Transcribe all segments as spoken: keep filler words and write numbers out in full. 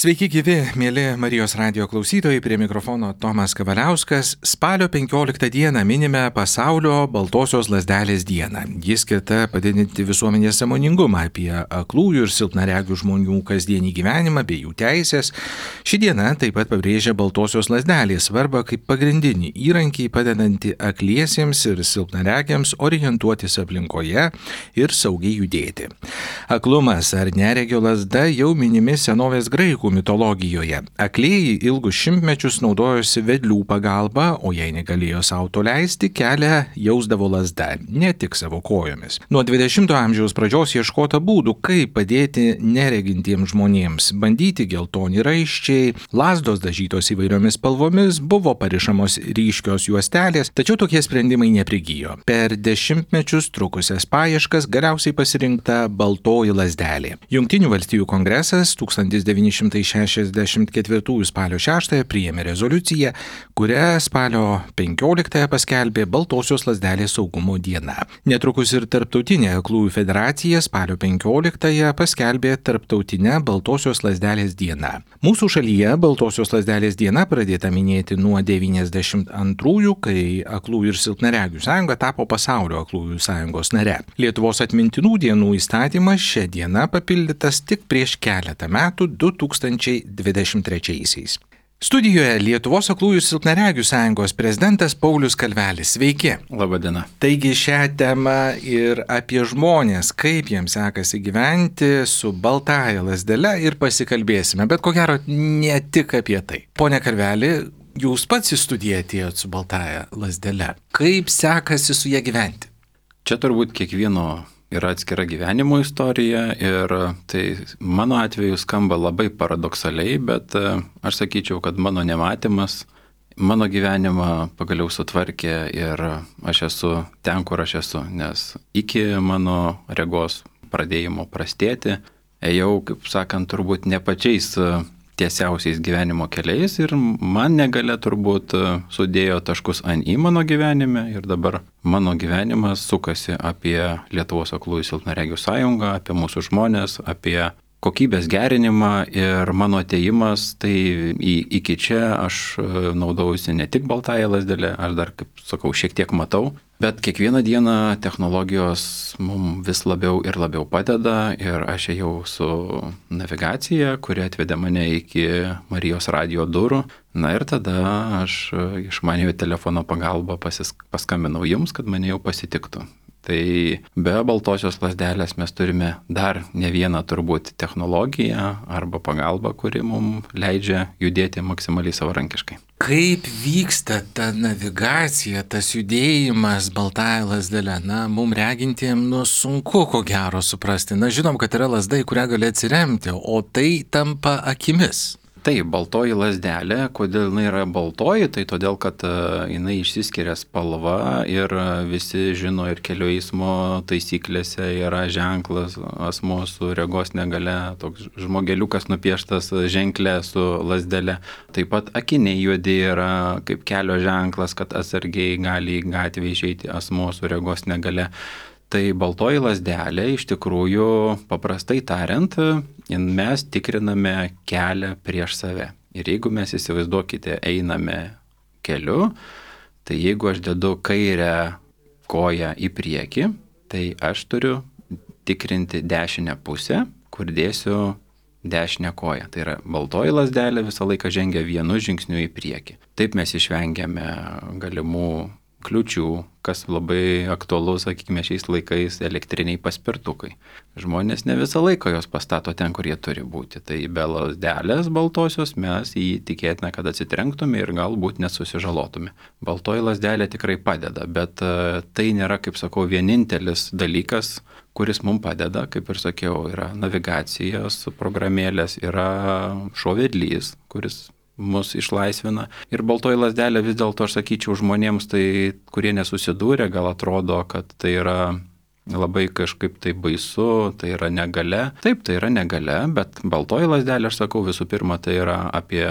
Sveiki gyvi, mėly Marijos radijo klausytojai, prie mikrofono Tomas Kavaliauskas. Spalio penkioliktą dieną minime pasaulio baltosios lazdelės dieną. Jis skirta padidinti visuomenės sąmoningumą apie aklųjų ir silpnaregių žmonių kasdienį gyvenimą bei jų teisės. Ši diena taip pat pabrėžia baltosios lazdelės svarbą kaip pagrindinį įrankį padedantį akliesiems ir silpnaregiams orientuotis aplinkoje ir saugiai judėti. Aklumas ar neregio lazda jau minimi senovės graikų mitologijoje. Aklieji ilgus šimtmečius naudojosi vedlių pagalba, o jei negalėjo sau to leisti, kelią jausdavo lazda, ne tik savo kojomis. Nuo dvidešimto amžiaus pradžios ieškota būdų, kaip padėti neregintiems žmonėms. Bandyti geltoni raiščiai, lazdos dažytos įvairiomis spalvomis, buvo parišamos ryškios juostelės, tačiau tokie sprendimai neprigijo. Per dešimtmečius trukusias paieškas galiausiai pasirinkta baltoji lazdelė. Jungtinių valstijų kongresas tūkstantis devyni šimtai šešiasdešimt ketvirtųjų spalio šeštąją priėmė rezoliuciją, kuria spalio penkioliktąją paskelbė baltosios lazdelės saugumo diena. Netrukus ir Tarptautinė aklųjų federacija spalio penkioliktąją paskelbė Tarptautinę baltosios lazdelės dieną. Mūsų šalyje baltosios lazdelės diena pradėta minėti nuo devyniasdešimt antrųjų, kai Aklųjų ir silpnaregių sąjunga tapo pasaulio aklųjų sąjungos nare. Lietuvos atmintinų dienų įstatymas šią dieną papildytas tik prieš keletą metų du tūkstančiai dvidešimt trečiaisiais. Studijoje Lietuvos aklųjų ir silpnaregių sąjungos prezidentas Paulius Kalvelis. Sveiki. Labadiena. Taigi šią temą ir apie žmonės, kaip jiems sekasi gyventi su baltąja lazdele ir pasikalbėsime, bet ko gero ne tik apie tai. Pone Kalveli, jūs pats į studiją atėjot su baltąja lazdele. Kaip sekasi su ją gyventi? Čia turbūt kiekvieno yra atskira gyvenimo istorija ir tai mano atveju skamba labai paradoksaliai, bet aš sakyčiau, kad mano nematymas mano gyvenimą pagaliau sutvarkė ir aš esu ten, kur aš esu, nes iki mano regos pradėjimo prastėti, ėjau, kaip sakant, turbūt ne pačiais tiesiausiais gyvenimo keliais ir man negalia turbūt sudėjo taškus ant į mano gyvenime ir dabar mano gyvenimas sukasi apie Lietuvos aklųjų silpnaregių sąjungą, apie mūsų žmonės, apie kokybės gerinimą ir mano atėjimas, tai į, iki čia aš naudojausi ne tik baltąją lazdelę, aš dar, kaip sakau, šiek tiek matau, bet kiekvieną dieną technologijos mums vis labiau ir labiau padeda ir aš ėjau su navigacija, kuri atvedė mane iki Marijos radijo durų. Na ir tada aš išmaniojo telefono pagalba pasis, paskambinau jums, kad mane jau pasitiktų. Tai be baltosios lazdelės mes turime dar ne vieną turbūt technologiją arba pagalbą, kuri mums leidžia judėti maksimaliai savarankiškai. Kaip vyksta ta navigacija, tas judėjimas baltąja lazdele? Na, mums regintiem nu, sunku ko gero suprasti. Na, žinom, kad yra lazda, į kurią gali atsiremti, o tai tampa akimis. Taip, baltoji lazdelė, kodėl jinai yra baltoji, tai todėl, kad jinai išsiskiria spalva ir visi žino ir kelių eismo taisyklėse yra ženklas asmuo su regos negalia, toks žmogeliukas nupieštas ženklė su lazdele. Taip pat akiniai juodi yra kaip kelio ženklas, kad atsargiai gali į gatvę išeiti asmuo su regos negalia. Tai baltoji lazdelė iš tikrųjų, paprastai tariant, mes tikriname kelią prieš save. Ir jeigu mes įsivaizduokite, einame keliu, tai jeigu aš dedu kairę koją į priekį, tai aš turiu tikrinti dešinę pusę, kur dėsiu dešinę koją. Tai yra baltoji lazdelė visą laiką žengia vienu žingsniu į priekį. Taip mes išvengiame galimų kliūčių, kas labai aktualu, sakykime, šiais laikais elektriniai paspirtukai. Žmonės ne visą laiką jos pastato ten, kur jie turi būti. Tai be lazdelės baltosios mes jį tikėtina, kad atsitrenktume ir galbūt nesusižalotume. Baltoji lazdelė tikrai padeda, bet tai nėra, kaip sakau, vienintelis dalykas, kuris mums padeda, kaip ir sakiau, yra navigacijos programėlės, yra šovedlys, kuris mus išlaisvina. Ir baltoji lazdelė vis dėlto, aš sakyčiau, žmonėms, tai, kurie nesusidūrė, gal atrodo, kad tai yra labai kažkaip tai baisu, tai yra negalia. Taip, tai yra negalia, bet baltoji lazdelė, aš sakau, visų pirma, tai yra apie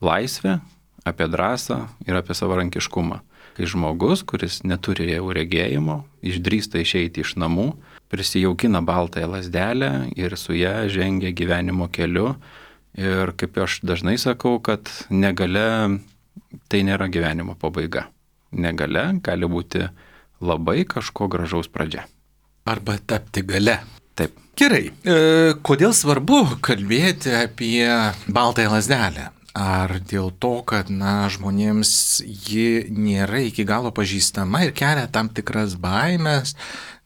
laisvę, apie drąsą ir apie savarankiškumą. Kai žmogus, kuris neturi jau regėjimo, išdrįsta išeiti iš namų, prisijaukina baltąją lazdelę ir su ją žengia gyvenimo keliu Ir kaip aš dažnai sakau, kad negalia tai nėra gyvenimo pabaiga. Negalia gali būti labai kažko gražaus pradžia. Arba tapti gale. Taip. Gerai. E, kodėl svarbu kalbėti apie baltąją lazdelę? Ar dėl to, kad, na, žmonėms ji nėra iki galo pažįstama ir kelia tam tikras baimės,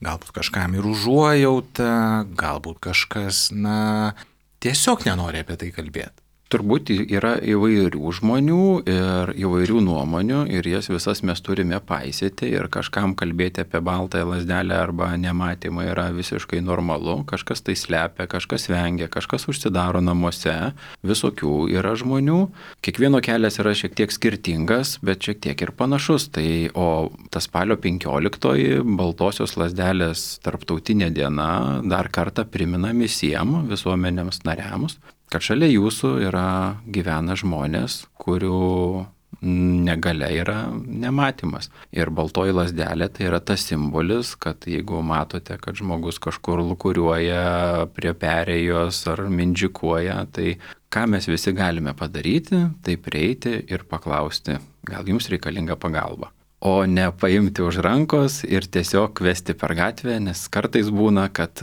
galbūt kažkam ir užuojauta, galbūt kažkas, na, tiesiog nenori apie tai kalbėti? Turbūt yra įvairių žmonių ir įvairių nuomonių ir jas visas mes turime paisyti ir kažkam kalbėti apie baltąją lazdelę arba nematymą yra visiškai normalu, kažkas tai slepia, kažkas vengia, kažkas užsidaro namuose, visokių yra žmonių. Kiekvieno kelias yra šiek tiek skirtingas, bet šiek tiek ir panašus. Tai, o ta spalio penkioliktoji baltosios lazdelės tarptautinė diena dar kartą primena visiems visuomenėms nariams, kad šalia jūsų yra gyvena žmonės, kurių negalia yra nematymas. Ir baltoji lazdelė tai yra tas simbolis, kad jeigu matote, kad žmogus kažkur lukuriuoja prie perėjos ar mindžikuoja, tai ką mes visi galime padaryti, tai prieiti ir paklausti, gal jums reikalinga pagalba. O ne paimti už rankos ir tiesiog vesti per gatvę, nes kartais būna, kad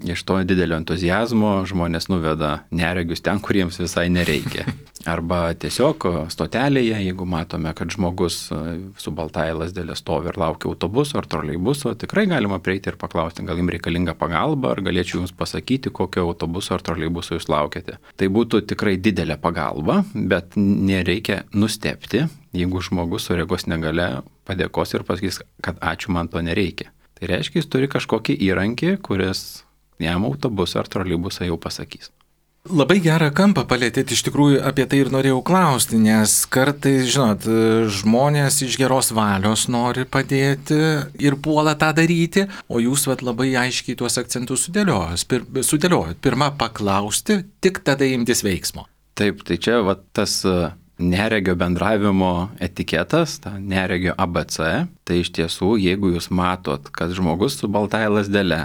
iš to didelio entuziazmo žmonės nuveda neregius ten, kuriems visai nereikia. Arba tiesiog stotelėje, jeigu matome, kad žmogus su baltąja lazdelė stovi ir laukia autobuso ar troleibuso, tikrai galima prieiti ir paklausti, gal jums reikalinga pagalba, ar galėčiau jums pasakyti, kokio autobuso ar troleibuso jūs laukiate. Tai būtų tikrai didelė pagalba, bet nereikia nustebti, jeigu žmogus su regos negalia padėkos ir pasakys, kad ačiū, man to nereikia. Tai reiškia, jis turi kažkokį įrankį, kuris jam autobusą ar troleibusą jau pasakys. Labai gerą kampą palėtėt, iš tikrųjų apie tai ir norėjau klausti, nes kartais, žinot, žmonės iš geros valios nori padėti ir puola tą daryti, o jūs vat, labai aiškiai tuos akcentus sudėliojot. Pir, sudėliojot. Pirma paklausti, tik tada imtis veiksmo. Taip, tai čia vat, tas neregio bendravimo etiketas, ta neregio A B C, tai iš tiesų, jeigu jūs matot, kad žmogus su baltąja lazdele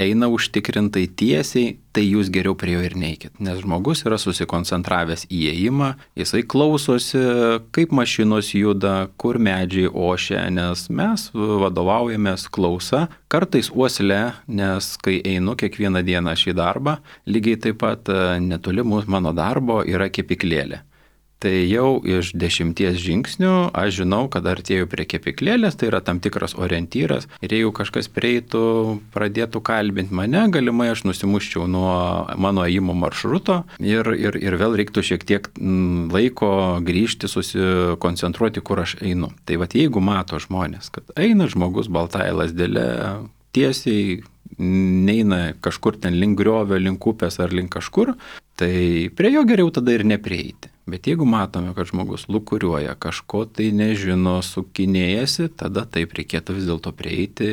eina užtikrintai tiesiai, tai jūs geriau prie jo ir neikit, nes žmogus yra susikoncentravęs į įėjimą, jisai klausosi, kaip mašinos juda, kur medžiai ošia, nes mes vadovaujamės klausa, kartais uosle, nes kai einu kiekvieną dieną šį darbą, lygiai taip pat netoli mūsų mano darbo yra kepyklėlė. Tai jau iš dešimties žingsnių aš žinau, kad artėju prie kepyklėlės, tai yra tam tikras orientyras ir jeigu kažkas prieitų, pradėtų kalbinti mane, galimai aš nusimuščiau nuo mano ėjimo maršruto ir, ir, ir vėl reiktų šiek tiek laiko grįžti, susikoncentruoti, kur aš einu. Tai vat jeigu mato žmonės, kad eina žmogus baltąja lazdele tiesiai, neina kažkur ten link griovio, link upės ar link kažkur, tai prie jo geriau tada ir neprieiti. Bet jeigu matome, kad žmogus lukuriuoja, kažko tai nežino, sukinėjasi, tada taip reikėtų vis dėlto prieiti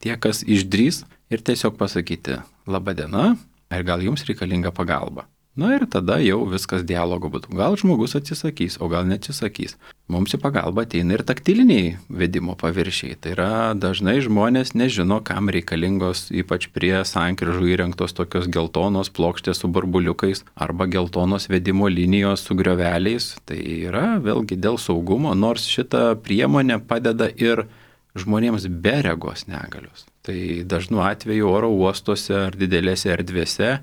tie, kas išdrys ir tiesiog pasakyti, laba diena, ar gal jums reikalinga pagalba. Na ir tada jau viskas dialogo būtų. Gal žmogus atsisakys, o gal neatsisakys. Mums į pagalbą ateina ir taktiliniai vedimo paviršiai. Tai yra dažnai žmonės nežino, kam reikalingos, ypač prie sankryžų įrengtos tokios geltonos plokštės su burbuliukais arba geltonos vedimo linijos su grioveliais. Tai yra vėlgi dėl saugumo, nors šita priemonė padeda ir žmonėms be regos negalios. Tai dažnu atveju oro uostuose ar didelėse erdvėse.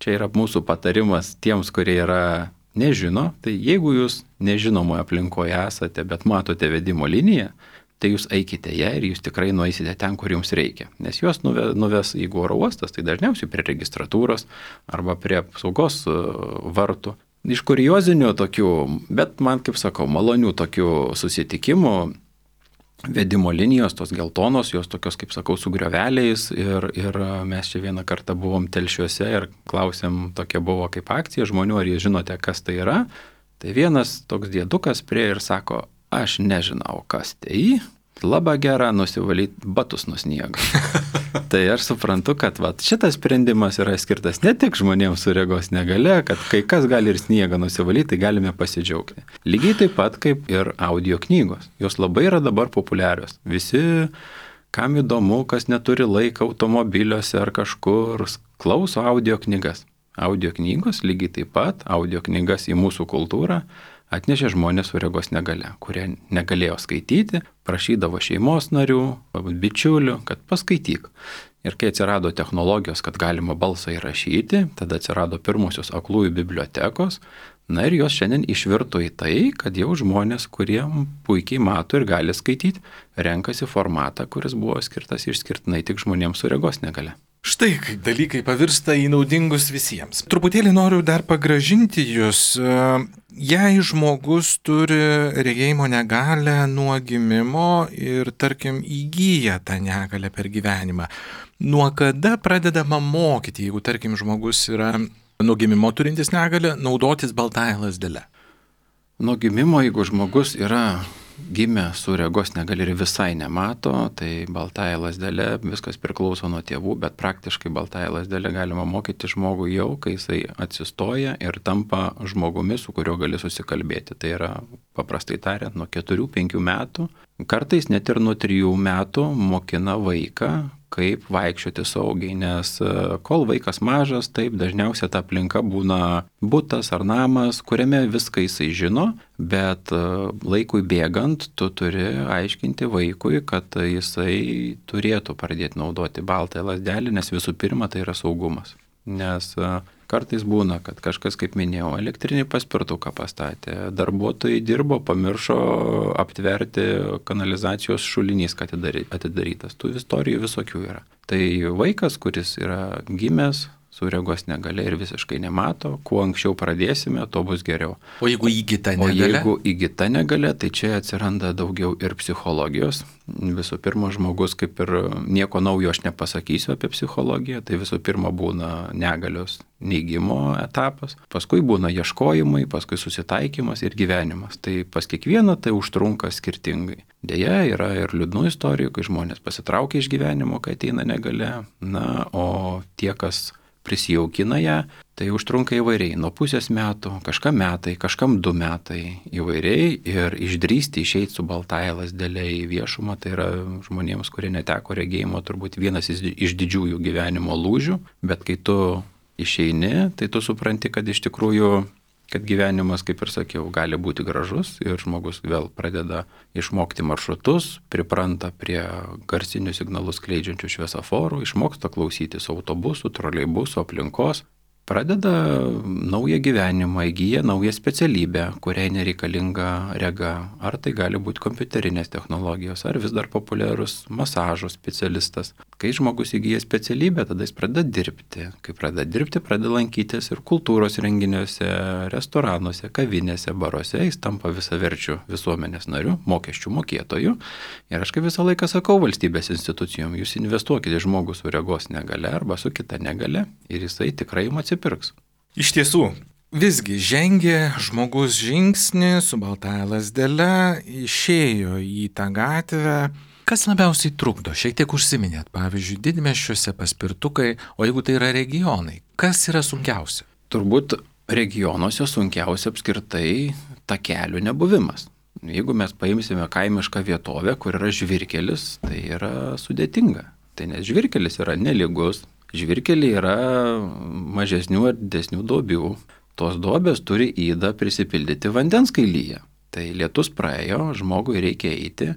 Čia yra mūsų patarimas tiems, kurie yra nežino, tai jeigu jūs nežinomoje aplinkoje esate, bet matote vedimo liniją, tai jūs eikite ją ir jūs tikrai nueisite ten, kur jums reikia. Nes juos nuves, jeigu oro uostas, tai dažniausiai prie registratūros arba prie apsaugos vartų. Iš kuriozinių tokių, bet man, kaip sakau, malonių tokių susitikimų, vedimo linijos, tos geltonos, jos tokios, kaip sakau, su grioveliais ir, ir mes čia vieną kartą buvom Telšiuose ir klausėm, tokia buvo kaip akcija žmonių, ar jūs žinote, kas tai yra. Tai vienas toks diedukas prie ir sako, aš nežinau, kas tai, labai gera nusivalyti batus nuo sniego. Tai aš suprantu, kad vat, šitas sprendimas yra skirtas ne tik žmonėms su regos negalia, kad kai kas gali ir sniegą nusivalyti, tai galime pasidžiaugti. Lygiai taip pat kaip ir audio knygos. Jos labai yra dabar populiarios. Visi, kam įdomu, kas neturi laiko automobiliuose ar kažkur, klauso audio knygas. Audio knygos lygiai taip pat, audio knygas į mūsų kultūrą atnešė žmonės su regos negale, kurie negalėjo skaityti, prašydavo šeimos narių, bičiulių, kad paskaityk. Ir kai atsirado technologijos, kad galima balsą įrašyti, tada atsirado pirmosios aklųjų bibliotekos, na ir jos šiandien išvirto į tai, kad jau žmonės, kurie puikiai mato ir gali skaityti, renkasi formatą, kuris buvo skirtas išskirtinai tik žmonėms su regos negale. Štai kaip dalykai pavirsta į naudingus visiems. Truputėlį noriu dar pagražinti jūs. Jei žmogus turi regėjimo negalę nuo gimimo ir, tarkim, įgyja tą negalę per gyvenimą, nuo kada pradedama mokyti, jeigu, tarkim, žmogus yra nuo gimimo turintis negalę, naudotis baltąja lazdele? Nuo gimimo, jeigu žmogus yra gimė su regos negali ir visai nemato, tai baltąja lazdele viskas priklauso nuo tėvų, bet praktiškai baltąja lazdele galima mokyti žmogų jau, kai jisai atsistoja ir tampa žmogumi, su kuriuo gali susikalbėti. Tai yra, paprastai tariant, nuo keturių penkių metų, kartais net ir nuo trijų metų mokina vaiką, kaip vaikščioti saugiai, nes kol vaikas mažas, taip dažniausiai ta aplinka būna butas ar namas, kuriame viską jisai žino, bet laikui bėgant tu turi aiškinti vaikui, kad jisai turėtų pradėti naudoti baltąją lazdelę, nes visų pirma tai yra saugumas. Nes kartais būna, kad kažkas, kaip minėjau, elektrinį paspirtuką pastatė, darbuotojai dirbo, pamiršo aptverti kanalizacijos šulinys, kad atidarytas. Tų istorijų visokių yra. Tai vaikas, kuris yra gimęs su regos negale ir visiškai nemato, kuo anksčiau pradėsime, to bus geriau. O jeigu įgyta negale? O jeigu įgyta negale, tai čia atsiranda daugiau ir psichologijos. Visų pirma, žmogus, kaip ir nieko naujo aš nepasakysiu apie psichologiją, tai visų pirma būna negalios neigimo etapas, paskui būna ieškojimai, paskui susitaikymas ir gyvenimas. Tai pas kiekvieną tai užtrunka skirtingai. Deja, yra ir liūdnų istorijų, kai žmonės pasitraukia iš gyvenimo, kai ateina negale, na, o tie, kas prisijaukina ją, tai užtrunka įvairiai, nuo pusės metų, kažkam metai, kažkam du metai įvairiai ir išdrįsti išeiti su baltąja lazdele į viešumą, tai yra žmonėms, kurie neteko regėjimo, turbūt vienas iš didžiųjų gyvenimo lūžių, bet kai tu išeini, tai tu supranti, kad iš tikrųjų kad gyvenimas, kaip ir sakiau, gali būti gražus ir žmogus vėl pradeda išmokti maršrutus, pripranta prie garsinių signalus skleidžiančių šviesoforų, išmoksta klausytis autobusų, troleibusų, aplinkos, pradeda naują gyvenimą, įgyja naują specialybę, kuriai nereikalinga rega. Ar tai gali būti kompiuterinės technologijos, ar vis dar populiarus masažo specialistas. Kai žmogus įgyja specialybę, tada jis pradeda dirbti. Kai pradeda dirbti, pradeda lankytis ir kultūros renginiuose, restoranuose, kavinėse, baruose. Jis tampa visaverčiu visuomenės nariu, mokesčių mokėtoju. Ir aš kaip visą laiką sakau valstybės institucijom, jūs investuokite žmogus su regos negale arba su kita negale ir jisai tikrai jums atsipirks. Iš tiesų, visgi žengė žmogus žingsnį su baltąja lazdele, išėjo į tą gatvę. Kas labiausiai trukdo? Šiek tiek užsiminėt, pavyzdžiui, didmiesčiuose paspirtukai, o jeigu tai yra regionai, kas yra sunkiausia? Turbūt regionuose sunkiausia apskritai takelių nebuvimas. Jeigu mes paimsime kaimišką vietovę, kur yra žvyrkelis, tai yra sudėtinga. Tai nes žvyrkelis yra nelygus, žvyrkeliai yra mažesnių ar didesnių duobių. Tos duobės turi įdą prisipildyti vandens kailyje. Tai lietus praėjo, žmogui reikia eiti.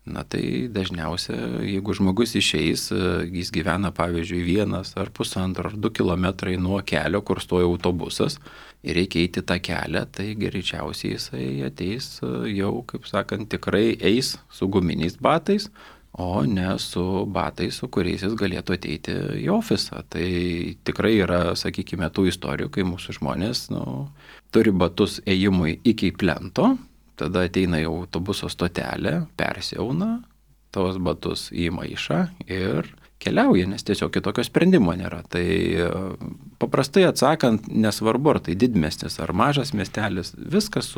Na tai dažniausia, jeigu žmogus išeis, jis gyvena pavyzdžiui vienas ar pusantro ar du kilometrai nuo kelio, kur stoja autobusas ir reikia eiti tą kelią, tai greičiausiai jisai ateis jau, kaip sakant, tikrai eis su guminiais batais, o ne su batais, su kuriais jis galėtų ateiti į ofisą. Tai tikrai yra, sakykime, tų istorijų, kai mūsų žmonės nu, turi batus ėjimui iki plento, tada ateina į autobuso stotelę, persiauna, tos batus į maišą ir keliauja, nes tiesiog kitokio sprendimo nėra. Tai paprastai atsakant, nesvarbu, ar tai didmiestis ar mažas miestelis, viskas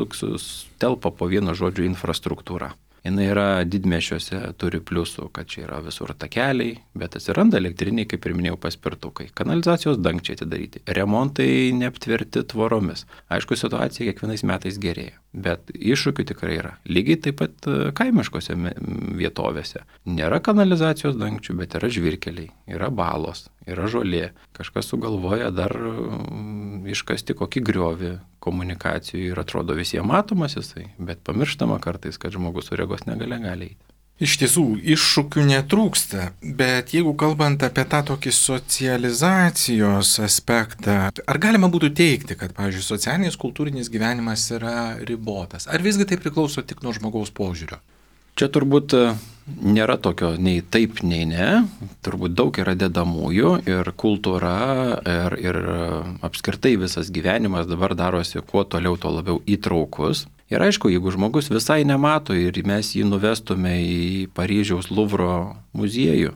telpa po vieno žodžio infrastruktūra. Jis yra didmiesčiuose, turi pliusų, kad čia yra visur takeliai, bet atsiranda elektriniai, kaip ir minėjau, paspirtukai. Kanalizacijos dangčiai atidaryti, remontai neaptverti tvoromis. Aišku, situacija kiekvienais metais gerėja. Bet iššūkių tikrai yra. Lygiai taip pat kaimiškose vietovėse. Nėra kanalizacijos dangčių, bet yra žvyrkeliai, yra balos, yra žolė. Kažkas sugalvoja dar iškasti kokį griovį komunikacijų ir atrodo visiems matomas jisai, bet pamirštama kartais, kad žmogus su regos negalia gali eiti. Iš tiesų, iššūkių netrūksta, bet jeigu kalbant apie tą tokį socializacijos aspektą, ar galima būtų teikti, kad, pavyzdžiui, socialinis kultūrinis gyvenimas yra ribotas? Ar visgi tai priklauso tik nuo žmogaus požiūrio? Čia turbūt nėra tokio nei taip, nei ne. Turbūt daug yra dedamųjų ir kultūra ir, ir apskritai visas gyvenimas dabar darosi kuo toliau, tuo labiau įtraukus. Ir aišku, jeigu žmogus visai nemato ir mes jį nuvestume į Paryžiaus Luvro muziejų,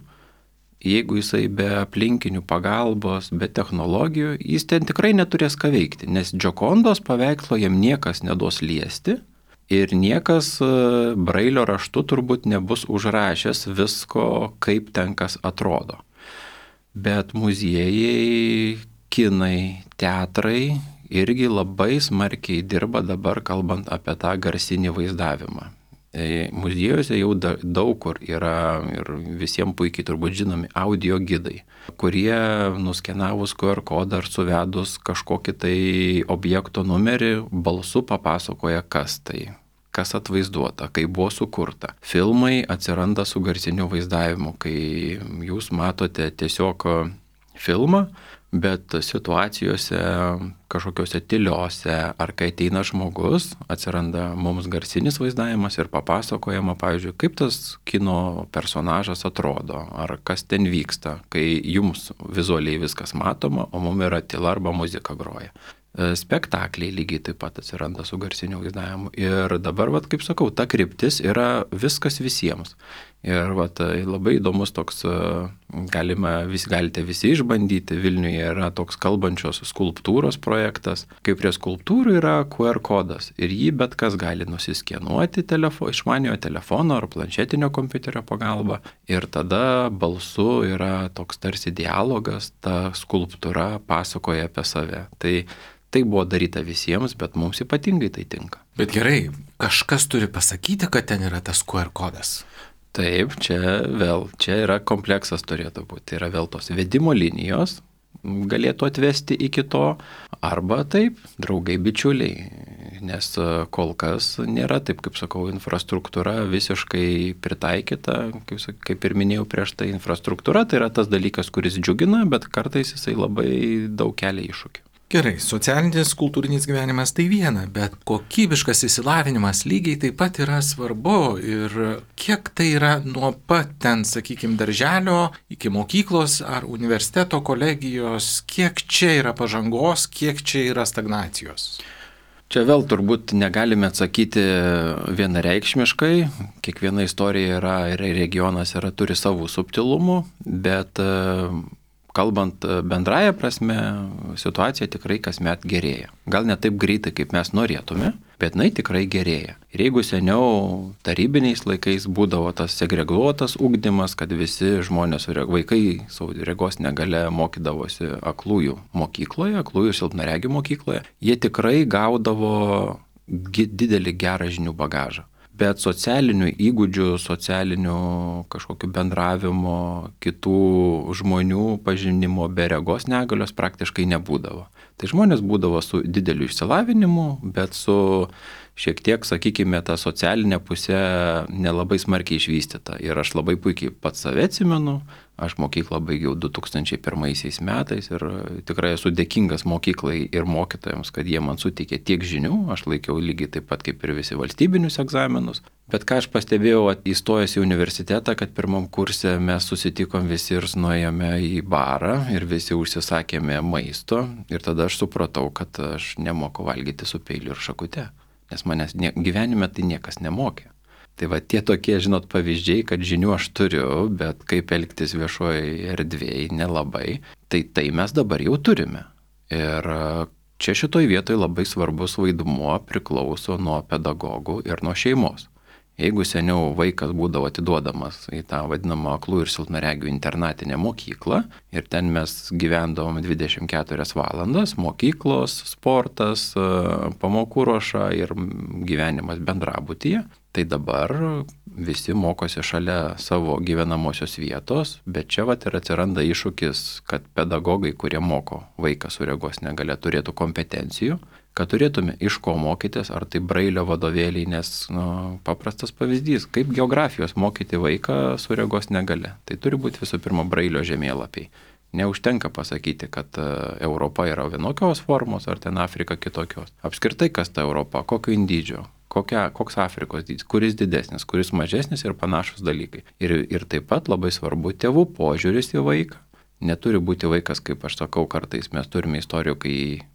jeigu jisai be aplinkinių pagalbos, be technologijų, jis ten tikrai neturės ką veikti, nes Džokondos paveikslo jam niekas neduos liesti ir niekas brailio raštu turbūt nebus užrašęs visko, kaip ten kas atrodo. Bet muziejai, kinai, teatrai irgi labai smarkiai dirba dabar, kalbant apie tą garsinį vaizdavimą. Muziejuose jau daug kur yra ir visiems puikiai turbūt žinomi audio gidai, kurie nuskenavus Q R kodą ar suvedus kažkokį tai objekto numerį balsu papasakoja, kas tai, kas atvaizduota, kaip buvo sukurta. Filmai atsiranda su garsiniu vaizdavimu, kai jūs matote tiesiog filmą, bet situacijose kažkokiuose tyliuose, ar kai ateina žmogus, atsiranda mums garsinis vaizdavimas ir papasakojama, pavyzdžiui, kaip tas kino personažas atrodo, ar kas ten vyksta, kai jums vizualiai viskas matoma, o mums yra tyla arba muzika groja. Spektakliai lygiai taip pat atsiranda su garsiniu vaizdavimu. Ir dabar, vat, kaip sakau, ta kryptis yra viskas visiems. Ir vat, labai įdomus toks, galima, vis, galite visi išbandyti, Vilniuje yra toks kalbančios skulptūros projektas. Kaip prie skulptūrų yra Q R kodas ir jį bet kas gali nusiskenuoti telefo, išmaniojo telefono ar planšetinio kompiuterio pagalba. Ir tada balsu yra toks tarsi dialogas, ta skulptūra pasakoja apie save. Tai Tai buvo daryta visiems, bet mums ypatingai tai tinka. Bet gerai, kažkas turi pasakyti, kad ten yra tas Q R kodas. Taip, čia vėl, čia yra kompleksas turėtų būti. Tai yra vėl tos vedimo linijos, galėtų atvesti iki to, arba taip, draugai bičiuliai. Nes kol kas nėra, taip kaip sakau, infrastruktūra visiškai pritaikyta, kaip, kaip ir minėjau prieš tai, infrastruktūra tai yra tas dalykas, kuris džiugina, bet kartais jisai labai daug kelia iššūkių. Gerai, socialinis kultūrinis gyvenimas tai viena, bet kokybiškas išsilavinimas lygiai taip pat yra svarbu ir kiek tai yra nuo pat ten, sakykime, darželio iki mokyklos ar universiteto kolegijos, kiek čia yra pažangos, kiek čia yra stagnacijos? Čia vėl turbūt negalime atsakyti vienareikšmiškai, kiekviena istorija yra ir regionas yra, turi savų subtilumų, bet kalbant bendraja prasme, situacija tikrai kasmet gerėja. Gal ne taip greitai, kaip mes norėtume, bet jinai tikrai gerėja. Ir jeigu seniau tarybiniais laikais būdavo tas segreguotas ugdymas, kad visi žmonės, vaikai su regos negalia mokydavosi aklųjų mokykloje, aklųjų silpnaregių mokykloje, jie tikrai gaudavo didelį gerą žinių bagažą. Bet socialinių įgūdžių, socialinių kažkokių bendravimo, kitų žmonių pažinimo be regos negalios praktiškai nebūdavo. Tai žmonės būdavo su dideliu išsilavinimu, bet su šiek tiek, sakykime, ta socialinė pusė nelabai smarkiai išvystyta. Ir aš labai puikiai pats save atsimenu, aš mokyklą baigiau du tūkstančiai pirmaisiais metais ir tikrai esu dėkingas mokyklai ir mokytojams, kad jie man suteikė tiek žinių, aš laikiau lygiai taip pat kaip ir visi valstybinius egzaminus. Bet ką aš pastebėjau įstojęs į universitetą, kad pirmam kurse mes susitikom visi ir nuėjome į barą ir visi užsisakėme maisto ir tada aš supratau, kad aš nemoku valgyti su peiliu ir šakute. Nes manęs nie, gyvenime tai niekas nemokė. Tai va tie tokie, žinot, pavyzdžiai, kad žinių aš turiu, bet kaip elgtis viešoje erdvėje nelabai, tai tai mes dabar jau turime. Ir čia šitoj vietoje labai svarbus vaidmuo priklauso nuo pedagogų ir nuo šeimos. Jeigu seniau vaikas būdavo atiduodamas į tą vadinamą aklų ir silpnaregių internatinę mokyklą ir ten mes gyvendavom dvidešimt keturias valandas, mokyklos, sportas, pamokų ruoša ir gyvenimas bendrabutyje, tai dabar visi mokosi šalia savo gyvenamosios vietos, bet čia vat ir atsiranda iššūkis, kad pedagogai, kurie moko vaiką su regos negalia, turėtų kompetencijų, kad turėtume iš ko mokytis, ar tai brailio vadovėliai, nes nu, paprastas pavyzdys, kaip geografijos mokyti vaiką su regos negalia. Tai turi būti visų pirma brailio žemėlapiai. Neužtenka pasakyti, kad Europa yra vienokios formos, ar ten Afrika kitokios. Apskritai, kas ta Europa, kokio dydžio, kokia, koks Afrikos dydis, kuris didesnis, kuris mažesnis ir panašus dalykai. Ir, ir taip pat labai svarbu tėvų požiūris į vaiką. Neturi būti vaikas, kaip aš sakau, kartais mes turime istorijų, kai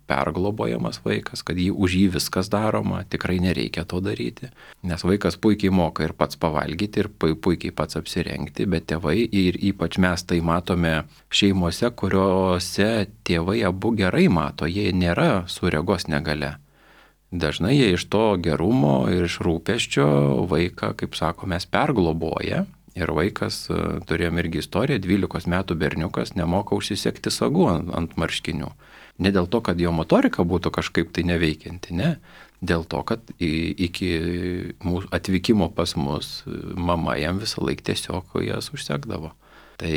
perglobojamas vaikas, kad jį, už jį viskas daroma, tikrai nereikia to daryti, nes vaikas puikiai moka ir pats pavalgyti, ir puikiai pats apsirengti, bet tėvai, ir ypač mes tai matome šeimose, kuriuose tėvai abu gerai mato, jie nėra su regos negalia. Dažnai jie iš to gerumo ir iš rūpesčio vaiką, kaip sako, mes pergloboja. Ir vaikas, turėjom irgi istoriją, dvylikos metų berniukas nemoka užsisekti sagų ant, ant marškinių. Ne dėl to, kad jo motorika būtų kažkaip tai neveikianti, ne. Dėl to, kad iki mūsų atvykimo pas mus mama jam visą laiką tiesiog jas užsekdavo. Tai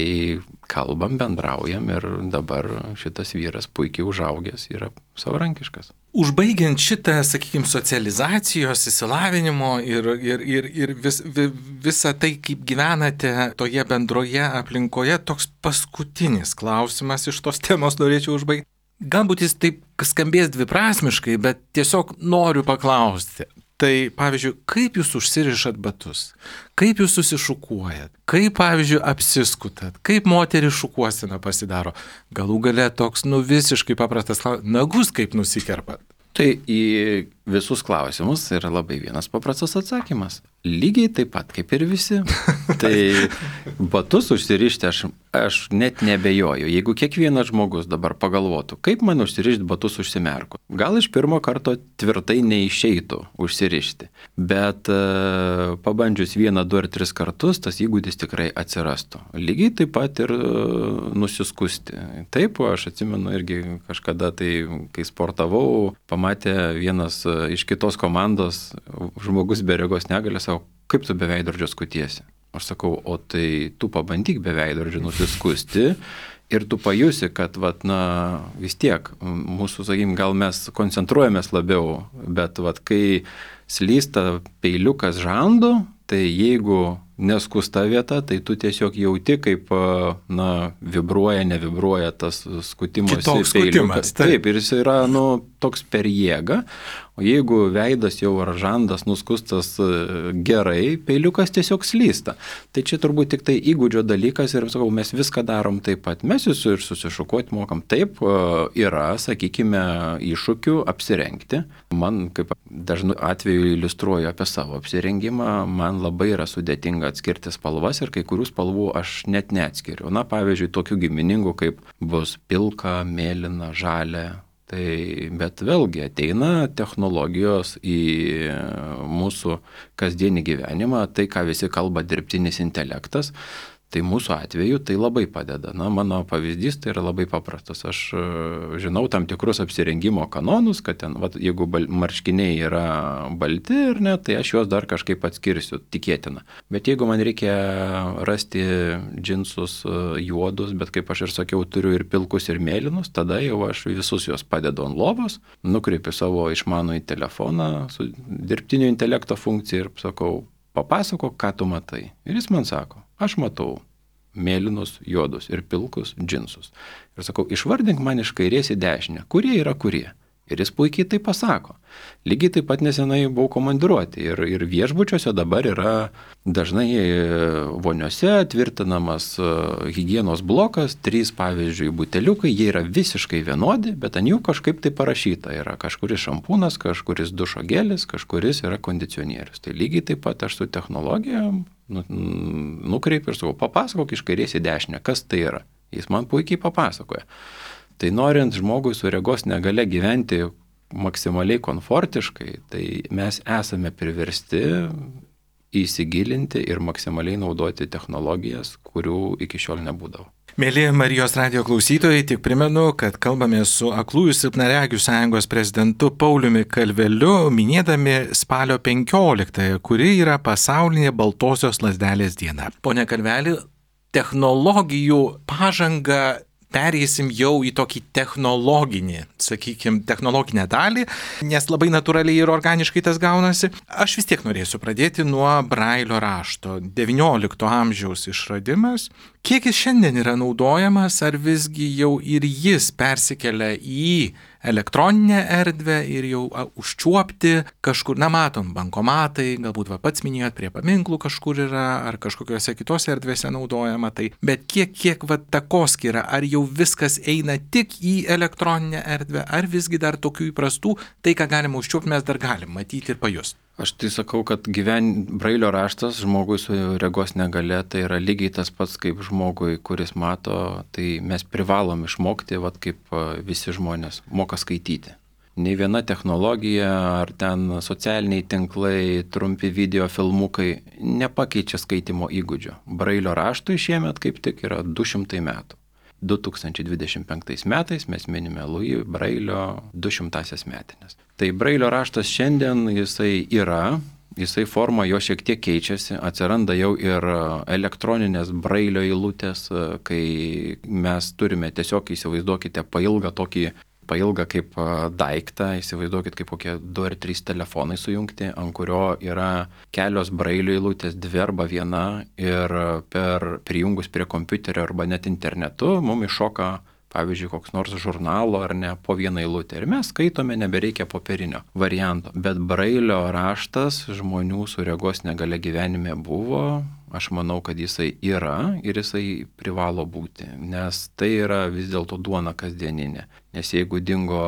kalbam, bendraujam ir dabar šitas vyras puikiai užaugęs yra savarankiškas. Užbaigiant šitą, sakykime, socializacijos, įsilavinimo ir, ir, ir, ir vis, vis, visą tai, kaip gyvenate toje bendroje aplinkoje, toks paskutinis klausimas iš tos temos norėčiau užbaigti. Galbūt jis taip skambės dviprasmiškai, bet tiesiog noriu paklausti. Tai, pavyzdžiui, kaip jūs užsirišat batus, kaip jūs susišukuojat, kaip, pavyzdžiui, apsiskutat, kaip moteris šukuosina pasidaro, galų gale toks, nu, visiškai paprastas klausimas, nagus kaip nusikerpat. Tai į visus klausimus yra labai vienas paprastas atsakymas. Lygiai taip pat kaip ir visi. Tai batus užsirišti aš, aš net nebejoju. Jeigu kiekvienas žmogus dabar pagalvotų, kaip man užsirišti batus užsimerkus. Gal iš pirmo karto tvirtai neišeitų užsirišti. Bet uh, pabandžius vieną, du ar tris kartus, tas įgūdis tikrai atsirastų. Lygiai taip pat ir uh, nusiskusti. Taip, aš atsimenu irgi kažkada, tai, kai sportavau, pamatė vienas uh, iš kitos komandos žmogus be regos negalios, sako, kaip tu be veidrodžio skutiesi? Aš sakau, o tai tu pabandyk be veidrodžio nusiskusti ir tu pajusi, kad vat, na, vis tiek mūsų, sakykim, gal mes koncentruojamės labiau, bet vat, kai slysta peiliukas žandu, tai jeigu neskusta vieta, tai tu tiesiog jauti, kaip, na, vibruoja, nevibruoja tas skutimosi Kitoks peiliukas. Skutimas, taip. Taip, ir jis yra, nu, toks per jėgą. O jeigu veidas jau ar žandas nuskustas gerai, peiliukas tiesiog slysta. Tai čia turbūt tik tai įgūdžio dalykas ir, sakau, mes viską darom taip pat. Mes jūsų ir susišukuoti mokam. Taip, yra, sakykime, iššūkių apsirengti. Man, kaip dažnu atveju iliustruoju apie savo apsirengimą, man labai yra sudėtinga atskirti spalvas ir kai kurių spalvų aš net neatskiriu. Na, pavyzdžiui, tokių giminingų kaip bus pilka, mėlyna, žalia. Tai, bet vėlgi ateina technologijos į mūsų kasdienį gyvenimą, tai ką visi kalba dirbtinis intelektas, tai mūsų atveju tai labai padeda. Na, mano pavyzdys tai yra labai paprastas. Aš žinau tam tikrus apsirengimo kanonus, kad ten, vat, jeigu bal, marškiniai yra balti ir ne, tai aš juos dar kažkaip atskirsiu, tikėtina. Bet jeigu man reikia rasti džinsus juodus, bet kaip aš ir sakiau, turiu ir pilkus, ir mėlynus, tada jau aš visus juos padedu ant lovos, nukreipiu savo išmanųjį telefoną su dirbtinio intelekto funkcija ir sakau, papasakok, ką tu matai. Ir jis man sako, aš matau mėlynus, juodus ir pilkus džinsus. Ir sakau, išvardink man iš kairės į dešinę, kurie yra kurie. Ir jis puikiai tai pasako. Lygiai taip pat nesenai buvau komandiruoti. Ir, ir viešbučiuose dabar yra dažnai voniose tvirtinamas higienos blokas, trys, pavyzdžiui, buteliukai, jie yra visiškai vienodi, bet ant jų kažkaip tai parašyta. Yra kažkuris šampūnas, kažkuris dušo gelis, kažkuris yra kondicionierius. Tai lygiai taip pat aš su technologija nu, nukreipiu ir sakau, papasakok iš kairės į dešinę, kas tai yra. Jis man puikiai papasakoja. Tai norint žmogui su regos negalia gyventi maksimaliai komfortiškai, tai mes esame priversti įsigilinti ir maksimaliai naudoti technologijas, kurių iki šiol nebūdavo. Mėly Marijos radijo klausytojai, tik primenu, kad kalbame su Aklųjų silpnaregių sąjungos prezidentu Pauliumi Kalveliu, minėdami spalio penkioliktąją, kuri yra pasaulinė baltosios lazdelės diena. Pone Kalveli, technologijų pažanga pereisim jau į tokį technologinį, sakykime, technologinę dalį, nes labai natūraliai ir organiškai tas gaunasi. Aš vis tiek norėsiu pradėti nuo Brailio rašto. devyniolikto amžiaus išradimas. Kiek jis šiandien yra naudojamas, ar visgi jau ir jis persikelia į elektroninę erdvę ir jau a, užčiuopti kažkur, na matom, bankomatai, galbūt va pats minėjot, prie paminklų kažkur yra, ar kažkokiose kitose erdvėse naudojama, tai, bet kiek, kiek va takoskyra, ar jau viskas eina tik į elektroninę erdvę, ar visgi dar tokių įprastų, tai ką galima užčiuopti, mes dar galim matyti ir pajusti. Aš tai sakau, kad gyven Brailio raštas žmogui su regos negale tai yra lygiai tas pats kaip žmogui, kuris mato, tai mes privalom išmokti, vat kaip visi žmonės moka skaityti. Nei viena technologija ar ten socialiniai tinklai, trumpi video filmukai nepakeičia skaitimo įgūdžio. Brailio raštui šiemet kaip tik yra du šimtai metų. du tūkstančiai dvidešimt penktais metais mes minime Louis Brailio du šimtąsias metinės. Tai Brailio raštas šiandien jisai yra, jisai forma jo šiek tiek keičiasi, atsiranda jau ir elektroninės Brailio eilutės, kai mes turime tiesiog, įsivaizduokite, pailgą tokį pailgą kaip daiktą, įsivaizduokit kaip kokie du ar trys telefonai sujungti, ant kurio yra kelios Brailio eilutės, dvi arba viena, ir per prijungus prie kompiuterio arba net internetu mums iššoka, pavyzdžiui, koks nors žurnalo ar ne, po vieną eilutę. Ir mes skaitome, nebereikia popierinio varianto. Bet Brailio raštas žmonių su regos negale gyvenime buvo. Aš manau, kad jisai yra ir jisai privalo būti, nes tai yra vis dėlto duona kasdieninė. Nes jeigu dingo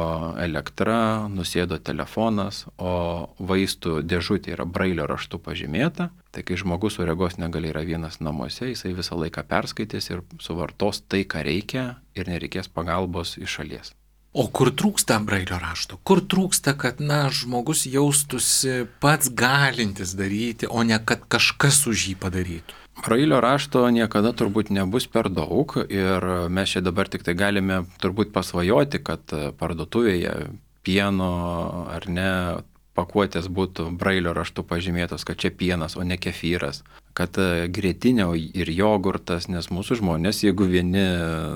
elektra, nusėdo telefonas, o vaistų dėžutė yra Brailio raštu pažymėta, tai kai žmogus su regos negalia yra vienas namuose, jisai visą laiką perskaitys ir suvartos tai, ką reikia, ir nereikės pagalbos iš šalies. O kur trūksta Brailio rašto? Kur trūksta, kad, na, žmogus jaustųsi pats galintis daryti, o ne kad kažkas už jį padarytų? Brailio rašto niekada turbūt nebus per daug ir mes čia dabar tik tai galime turbūt pasvajoti, kad parduotuvėje pieno ar ne pakuotės būtų Brailio raštu pažymėtos, kad čia pienas, o ne kefyras, kad grietinė ir jogurtas, nes mūsų žmonės, jeigu vieni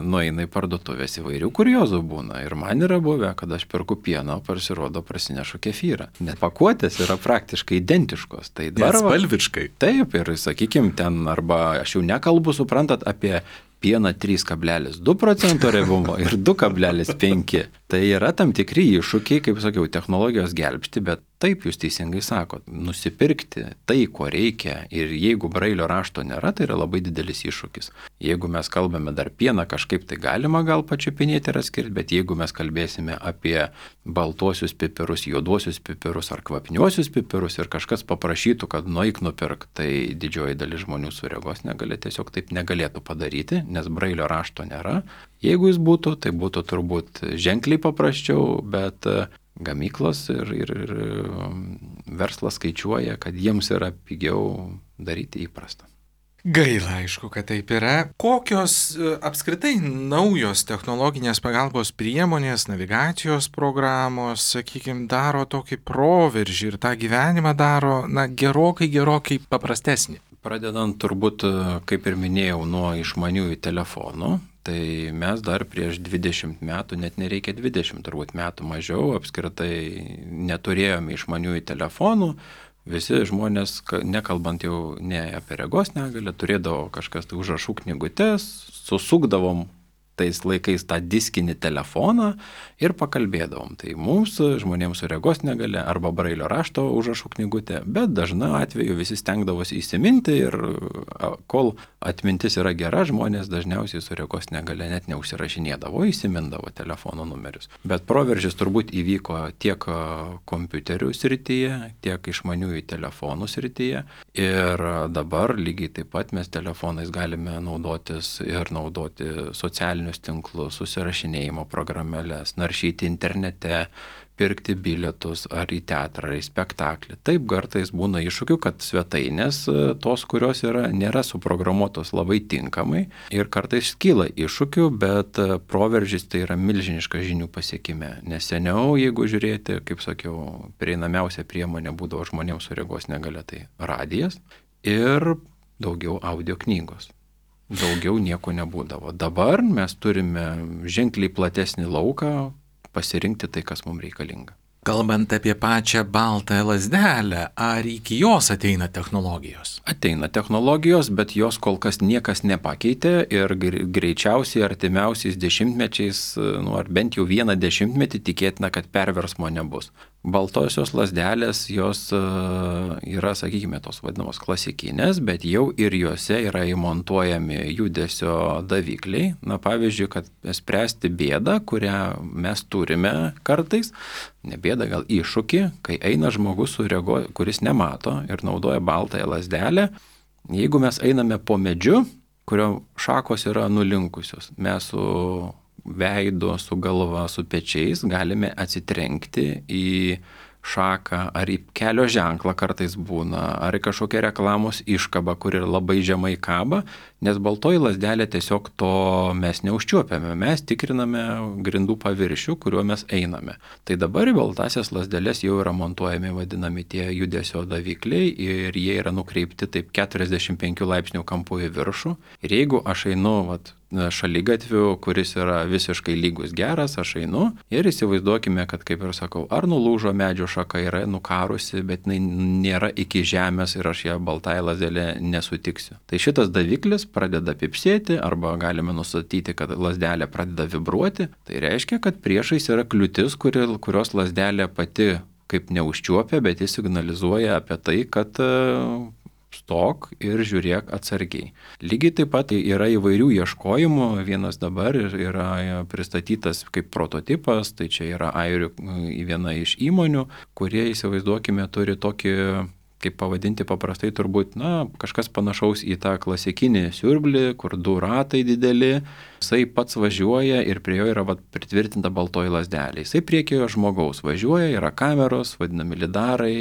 nueina į parduotuvės, įvairių kuriozų būna. Ir man yra buvę, kad aš perku pieną, pasirodo, prasinešu kefyrą. Net pakuotės yra praktiškai identiškos. Tai dar spalviškai. Taip, ir sakykime ten, arba aš jau nekalbu, suprantat, apie pieną trys kablelis du procento riebumo ir du kablelis penki. Tai yra tam tikri iššūkiai, kaip sakiau, technologijos gelbsti, bet taip jūs teisingai sakot, nusipirkti tai, ko reikia, ir jeigu Brailio rašto nėra, tai yra labai didelis iššūkis. Jeigu mes kalbame dar pieną, kažkaip tai galima gal pačiupinėti ir atskirti, bet jeigu mes kalbėsime apie baltuosius pipirus, juoduosius pipirus ar kvapniuosius pipirus ir kažkas paprašytų, kad nueik nupirk, tai didžioji dalis žmonių su regos negalia tiesiog taip negalėtų padaryti, nes Brailio rašto nėra. Jeigu jis būtų, tai būtų turbūt ženkliai paprasčiau, bet gamyklos ir, ir, ir verslas skaičiuoja, kad jiems yra pigiau daryti įprastą. Gaila, aišku, kad taip yra. Kokios apskritai naujos technologinės pagalbos priemonės, navigacijos programos, sakykime, daro tokį proveržį ir tą gyvenimą daro, na, gerokai, gerokai paprastesnį? Pradedant turbūt, kaip ir minėjau, nuo išmaniųjų telefonų, tai mes dar prieš dvidešimt metų, net nereikia dvidešimt turbūt metų mažiau, apskritai neturėjome išmaniųjų telefonų. Visi žmonės, nekalbant jau ne apie regos negalią, turėdavo kažkas tai užrašų knygutes, susukdavom tais laikais tą diskinį telefoną ir pakalbėdavom. Tai mums, žmonėms su regos negalia, arba Brailio rašto užrašų knygutė, bet dažna atveju visi stengdavosi įsiminti ir kol atmintis yra gera, žmonės dažniausiai su regos negalia net neužsirašinėdavo, įsimindavo telefono numerius. Bet proveržis turbūt įvyko tiek kompiuterių srityje, tiek išmaniųjų telefonų srityje. Ir dabar lygiai taip pat mes telefonais galime naudotis ir naudoti socialinius tinklus, susirašinėjimo programėlės, naršyti internete, pirkti bilietus ar į teatrą, ar į spektaklį. Taip kartais būna iššūkių, kad svetainės tos, kurios yra, nėra suprogramuotos labai tinkamai ir kartais kyla iššūkių, bet proveržis tai yra milžiniška žinių pasiekime. Nes seniau, jeigu žiūrėti, kaip sakiau, prieinamiausia priemonė būdavo žmonėms su regos negalia, tai radijas ir daugiau audio knygos. Daugiau nieko nebūdavo. Dabar mes turime ženkliai platesnį lauką, pasirinkti tai, kas mums reikalinga. Kalbant apie pačią baltąją lazdelę, ar iki jos ateina technologijos? Ateina technologijos, bet jos kol kas niekas nepakeitė ir greičiausiai artimiausiais dešimtmečiais, nu, ar bent jau vieną dešimtmetį tikėtina, kad perversmo nebus. Baltosios lazdelės, jos yra, sakykime, tos vadinamos klasikinės, bet jau ir juose yra įmontuojami judesio davikliai. Na, pavyzdžiui, kad spręsti bėdą, kurią mes turime kartais, ne bėdą, gal iššūkį, kai eina žmogus, su rego, kuris nemato ir naudoja baltąją lazdelę. Jeigu mes einame po medžiu, kurio šakos yra nulinkusios, mes su veidu, su galva, su pečiais galime atsitrenkti į šaką ar į kelio ženklą kartais būna, ar į kažkokią reklamos iškabą, kuri labai žemai kaba, nes baltoji lazdelė tiesiog to mes neužčiuopiame, mes tikriname grindų paviršių, kuriuo mes einame. Tai dabar į baltasias lazdelės jau yra montuojami vadinami tie judesio davikliai ir jie yra nukreipti taip keturiasdešimt penkių laipsnių kampu į viršų. Ir jeigu aš einu, vat, šaligatviu, kuris yra visiškai lygus geras, aš einu ir įsivaizduokime, kad, kaip ir sakau, ar nulūžo medžio šaka, yra nukarusi, bet jinai nėra iki žemės ir aš ją baltąją lazdelę nesutiksiu. Tai šitas daviklis pradeda pipsėti arba galime nustatyti, kad lazdelė pradeda vibruoti. Tai reiškia, kad priešais yra kliūtis, kuri, kurios lazdelė pati kaip neužčiuopia, bet jis signalizuoja apie tai, kad stok ir žiūrėk atsargiai. Lygiai taip pat yra įvairių ieškojimų. Vienas dabar yra pristatytas kaip prototipas, tai čia yra airių viena iš įmonių, kurie, įsivaizduokime, turi tokį, kaip pavadinti paprastai, turbūt, na, kažkas panašaus į tą klasikinį siurblį, kur du ratai dideli, jisai pats važiuoja ir prie jo yra vat, pritvirtinta baltoji lazdelė. Jisai priekyje žmogaus važiuoja, yra kameros, vadinami lidarai,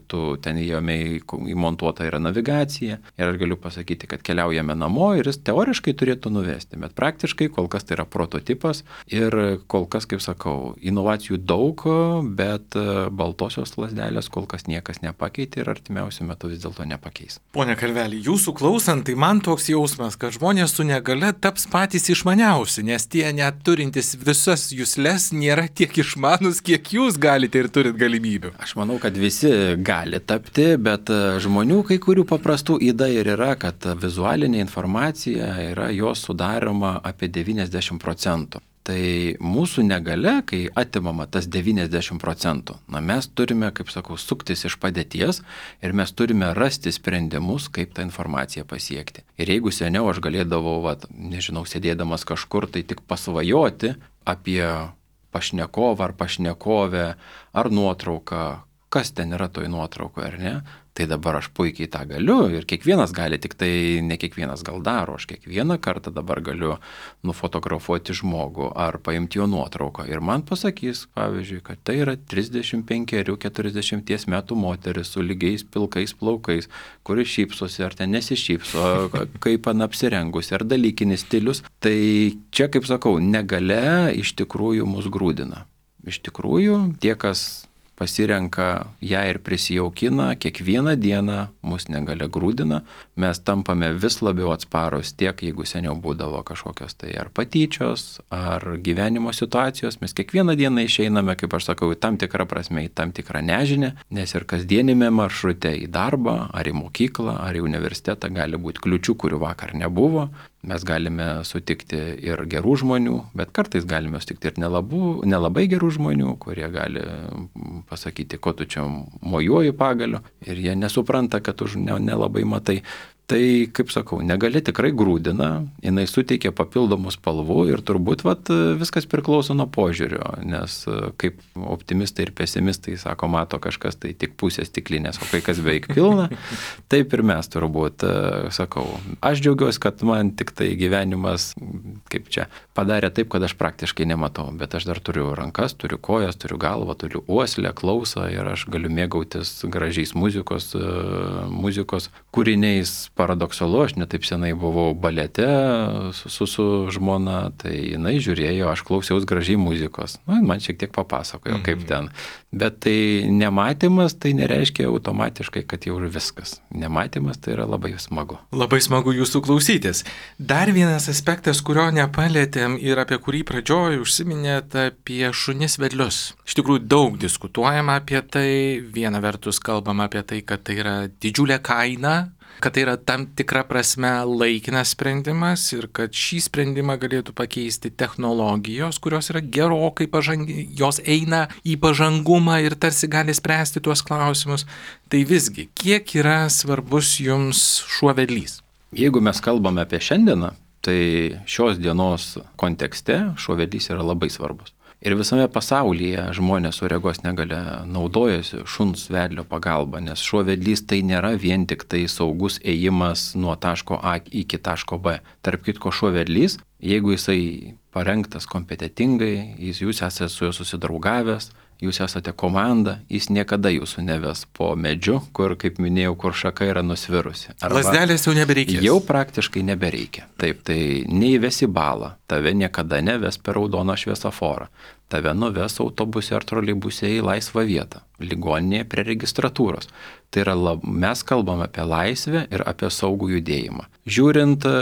tu ten jame įmontuota yra navigacija ir aš galiu pasakyti, kad keliaujame namo ir jis teoriškai turėtų nuvesti, bet praktiškai kol kas tai yra prototipas ir kol kas, kaip sakau, inovacijų daug, bet baltosios lazdelės kol kas niekas nepakeitė ir artimiausiu metu vis dėlto nepakeis. Pone Karvelį, jūsų klausant, tai man toks jausmas, kad žmonės su negale taps patys išmaniausi, nes tie net turintys visas jusles nėra tiek išmanus, kiek jūs galite ir turit galimybių. Aš manau, kad visi gali tapti, bet žmonių kai kurių paprastų įda ir yra, kad vizualinė informacija yra jos sudaroma apie devyniasdešimt procentų. Tai mūsų negale, kai atimama tas devyniasdešimt procentų, na mes turime, kaip sakau, suktis iš padėties ir mes turime rasti sprendimus, kaip tą informaciją pasiekti. Ir jeigu seniau aš galėdavau, vat, nežinau, sėdėdamas kažkur, tai tik pasvajoti apie pašnekovą ar pašnekovę ar nuotrauką, kas ten yra toj nuotraukoje, ar ne? Tai dabar aš puikiai tą galiu ir kiekvienas gali, tik tai ne kiekvienas gal daro, aš kiekvieną kartą dabar galiu nufotografuoti žmogų ar paimti jo nuotrauką ir man pasakys, pavyzdžiui, kad tai yra trisdešimt penkerių keturiasdešimt metų moteris su lygiais pilkais plaukais, kuri šypsosi ar ten nesišypso, kaip pan apsirengusi ar dalykinis stilius. Tai čia, kaip sakau, negalia iš tikrųjų mus grūdina. Iš tikrųjų, tie, kas pasirenka ją ir prisijaukina, kiekvieną dieną mus negalia grūdina, mes tampame vis labiau atsparus tiek, jeigu seniau būdavo kažkokios tai ar patyčios, ar gyvenimo situacijos, mes kiekvieną dieną išeiname, kaip aš sakau, į tam tikrą prasme, į tam tikrą nežinę, nes ir kasdienime maršrute į darbą, ar į mokyklą, ar į universitetą gali būti kliučių, kurių vakar nebuvo. Mes galime sutikti ir gerų žmonių, bet kartais galime sutikti ir nelabų, nelabai gerų žmonių, kurie gali pasakyti, ko tu čia mojuoji pagaliu ir jie nesupranta, kad tu nelabai matai. Tai, kaip sakau, negali tikrai grūdina, jinai suteikia papildomų spalvų ir turbūt vat, viskas priklauso nuo požiūrio, nes kaip optimistai ir pesimistai sako, mato kažkas tai tik pusės stiklinės, o kai kas beveik pilna, taip ir mes turbūt sakau. Aš džiaugiuosi, kad man tik tai gyvenimas, kaip čia, padarė taip, kad aš praktiškai nematau, bet aš dar turiu rankas, turiu kojas, turiu galvą, turiu uoslę, klausą ir aš galiu mėgautis gražiais muzikos, muzikos kūriniais. Paradoksalu, aš netaip senai buvau balete su, su, su žmona, tai jinai žiūrėjo, aš klausiaus gražiai muzikos. Nu, man šiek tiek papasakojo, mm-hmm. kaip ten. Bet tai nematymas, tai nereiškia automatiškai, kad jau viskas. Nematymas tai yra labai smagu. Labai smagu jūsų klausytis. Dar vienas aspektas, kurio nepalėtėm ir apie kurį pradžioj užsiminėt, apie šunis vedlius. Iš tikrųjų daug diskutuojama apie tai. Viena vertus kalbama apie tai, kad tai yra didžiulė kaina, kad tai yra tam tikra prasme laikinas sprendimas ir kad šį sprendimą galėtų pakeisti technologijos, kurios yra gerokai pažangi, jos eina į pažangumą ir tarsi gali spręsti tuos klausimus. Tai visgi, kiek yra svarbus jums šuo vedlys? Jeigu mes kalbame apie šiandieną, tai šios dienos kontekste šuo vedlys yra labai svarbus. Ir visame pasaulyje žmonės su regos negalia naudojasi šuns vedlio pagalba, nes šuo vedlys tai nėra vien tik tai saugus ėjimas nuo taško A iki taško B. Tarp kitko, šuo vedlys, jeigu jisai parengtas kompetentingai, jis, jūs esate su juo susidraugavęs, jūs esate komanda, jis niekada jūsų neves po medžiu, kur, kaip minėjau, kur šaka yra nusvirusi. Lazdelės jau nebereikia. Jau praktiškai nebereikia. Taip, tai neįvesi balą, tave niekada neves per raudoną šviesoforą, tave nuves autobuse ar troleibuse į laisvą vietą, ligoninėje prie registratūros. Tai yra, lab, mes kalbame apie laisvę ir apie saugų judėjimą. Žiūrint e,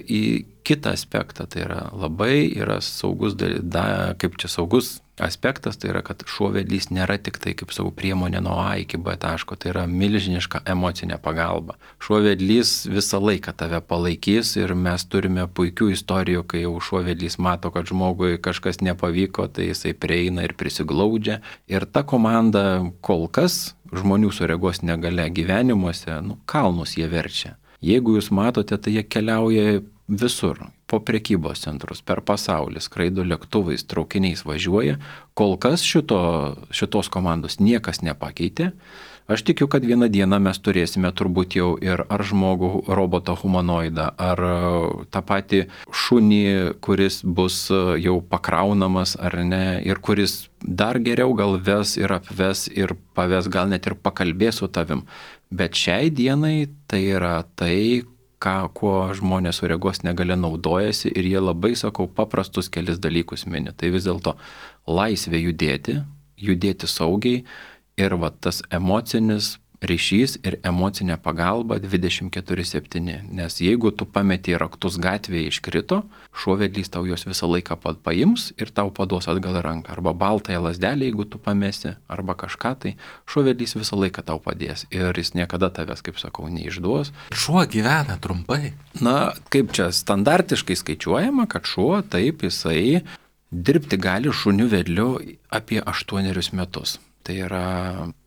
į kitą aspektą, tai yra labai yra saugus, da, kaip čia saugus aspektas, tai yra, kad šuo vedlys nėra tik tai kaip savo priemonė nuo A iki B taško, tai yra milžiniška emocinė pagalba. Šuo vedlys visą laiką tave palaikys ir mes turime puikių istorijų, kai jau šuo vedlys mato, kad žmogui kažkas nepavyko, tai jisai prieina ir prisiglaudžia. Ir ta komanda kol kas žmonių su regos negalia gyvenimuose, nu, kalnus jie verčia. Jeigu jūs matote, tai jie keliauja visur, po prekybos centrus, per pasaulį, skraido lėktuvais, traukiniais važiuoja. Kol kas šito, šitos komandos niekas nepakeitė. Aš tikiu, kad vieną dieną mes turėsime turbūt jau ir ar žmogų, robotą humanoidą, ar tą patį šunį, kuris bus jau pakraunamas ar ne, ir kuris dar geriau gal ves ir apves ir paves, gal net ir pakalbės su tavim. Bet šiai dienai tai yra tai, ką, kuo žmonės su regos negalia naudojasi ir jie labai, sakau, paprastus kelis dalykus mini. Tai vis dėlto laisvė judėti, judėti saugiai ir va, tas emocinis ryšys ir emocinė pagalba dvidešimt keturi septyni. Nes jeigu tu pameti raktus gatvėje iškrito, šuo vedlys tau juos visą laiką paims ir tau paduos atgal ranką. Arba baltąją lazdelę, jeigu tu pamesi, arba kažką, tai šuo vedlys visą laiką tau padės. Ir jis niekada tavęs, kaip sakau, neišduos. Šuo gyvena trumpai. Na, kaip čia standartiškai skaičiuojama, kad šuo taip jisai dirbti gali šuniu vedliu apie aštuonerius metus. Tai yra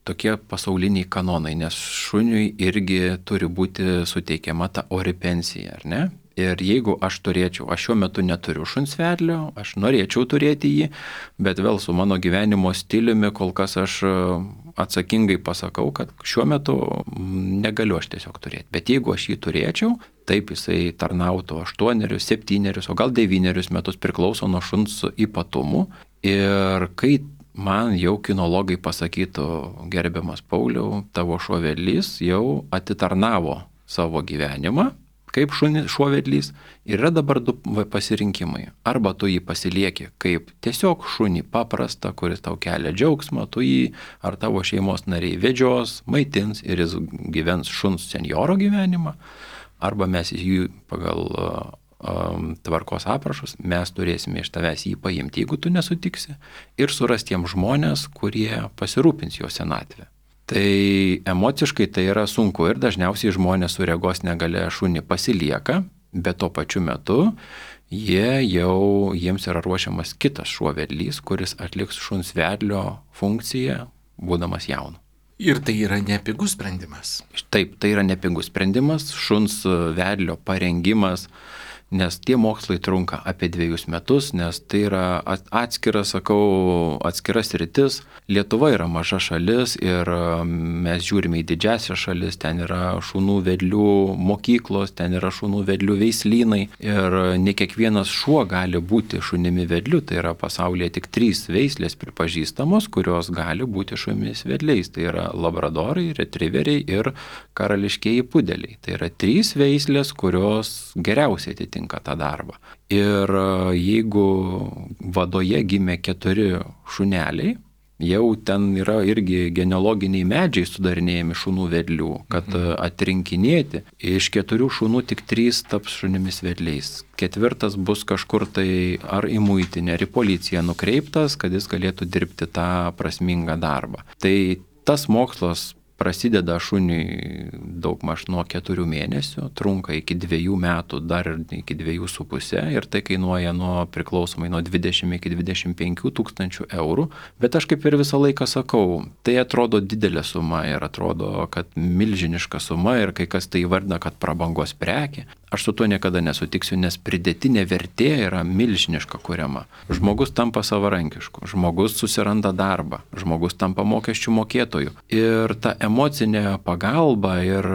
tokie pasauliniai kanonai, nes šuniui irgi turi būti suteikiama ta ori pensija, ar ne? Ir jeigu aš turėčiau, aš šiuo metu neturiu šuns vedlio, aš norėčiau turėti jį, bet vėl su mano gyvenimo stiliumi kol kas aš atsakingai pasakau, kad šiuo metu negaliu aš tiesiog turėti. Bet jeigu aš jį turėčiau, taip jisai tarnautų aštuonerius, septynerius, o gal devynerius metus, priklauso nuo šuns ypatumų. Ir kai man jau kinologai pasakytų, gerbiamas Pauliau, tavo šuo vedlys jau atitarnavo savo gyvenimą, kaip šunis, šuo vedlys, ir yra dabar du pasirinkimai. Arba tu jį pasilieki kaip tiesiog šunį paprastą, kuris tau kelia džiaugsmą, tu jį ar tavo šeimos nariai vedžios, maitins ir jis gyvens šuns senjoro gyvenimą, arba mes jį pagal tvarkos aprašus, mes turėsime iš tavęs jį paimti, jeigu tu nesutiksi, ir surasti tiem žmonės, kurie pasirūpins jo senatvę. Tai emociškai tai yra sunku ir dažniausiai žmonės su regos negalia šunį pasilieka, bet tuo pačiu metu jie jau, jiems yra ruošiamas kitas šuo vedlys, kuris atliks šuns vedlio funkciją, būdamas jaunu. Ir tai yra nepigus sprendimas. Taip, tai yra nepigus sprendimas, šuns vedlio parengimas, nes tie mokslai trunka apie dviejus metus, nes tai yra atskiras, sakau, atskiras rytis. Lietuva yra maža šalis ir mes žiūrime į didžiasias šalis, ten yra šunų vedlių mokyklos, ten yra šunų vedlių veislynai ir ne kiekvienas šuo gali būti šunimi vedliu, tai yra pasaulyje tik trys veislės pripažįstamos, kurios gali būti šunimis vedliais, tai yra labradorai, retriveriai ir karališkieji pudeliai. Tai yra trys veislės, kurios geriausiai atitinka tą darbą. Ir jeigu vadoje gimė keturi šuneliai, jau ten yra irgi genealoginiai medžiai sudarinėjami šunų vedlių, kad atrinkinėti. Iš keturių šunų tik trys taps šunimis vedliais. Ketvirtas bus kažkur tai ar į muitinę, ar į policiją nukreiptas, kad jis galėtų dirbti tą prasmingą darbą. Tai tas mokslas prasideda šuniui daugmaž nuo keturių mėnesių, trunka iki dviejų metų, dar ir iki dviejų su pusė ir tai kainuoja nuo priklausomai nuo dvidešimt iki dvidešimt penkių tūkstančių eurų. Bet aš kaip ir visą laiką sakau, tai atrodo didelė suma ir atrodo, kad milžiniška suma ir kai kas tai įvardina, kad prabangos prekė. Aš su tuo niekada nesutiksiu, nes pridėtinė vertė yra milžiniška kuriama. Žmogus tampa savarankišku, žmogus susiranda darbą, žmogus tampa mokesčių mokėtojų. Ir ta emocinė pagalba ir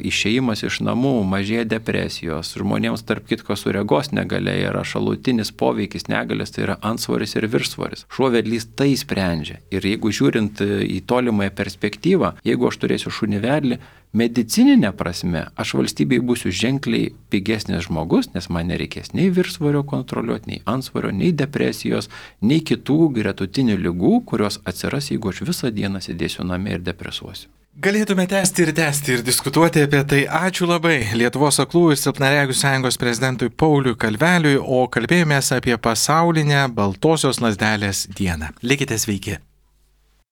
išėjimas iš namų, mažėja depresijos. Žmonėms tarp kitko su regos negalia yra šalutinis poveikis negalės, tai yra antsvoris ir viršsvoris. Šuo vedlys tai sprendžia. Ir jeigu žiūrint į tolimąją perspektyvą, jeigu aš turėsiu šunį vedlį, medicininė prasme, aš valstybei būsiu ženkliai pigesnis žmogus, nes man nereikės nei viršsvorio kontroliuoti, nei antsvorio, nei depresijos, nei kitų gretutinių ligų, kurios atsiras, jeigu aš visą dieną sėdėsiu namie ir depresuosiu. Galėtume tęsti ir tęsti ir diskutuoti apie tai. Ačiū labai Lietuvos aklųjų ir silpnaregių sąjungos prezidentui Pauliui Kalveliui, o kalbėjomės apie pasaulinę baltosios lazdelės dieną. Likite sveiki.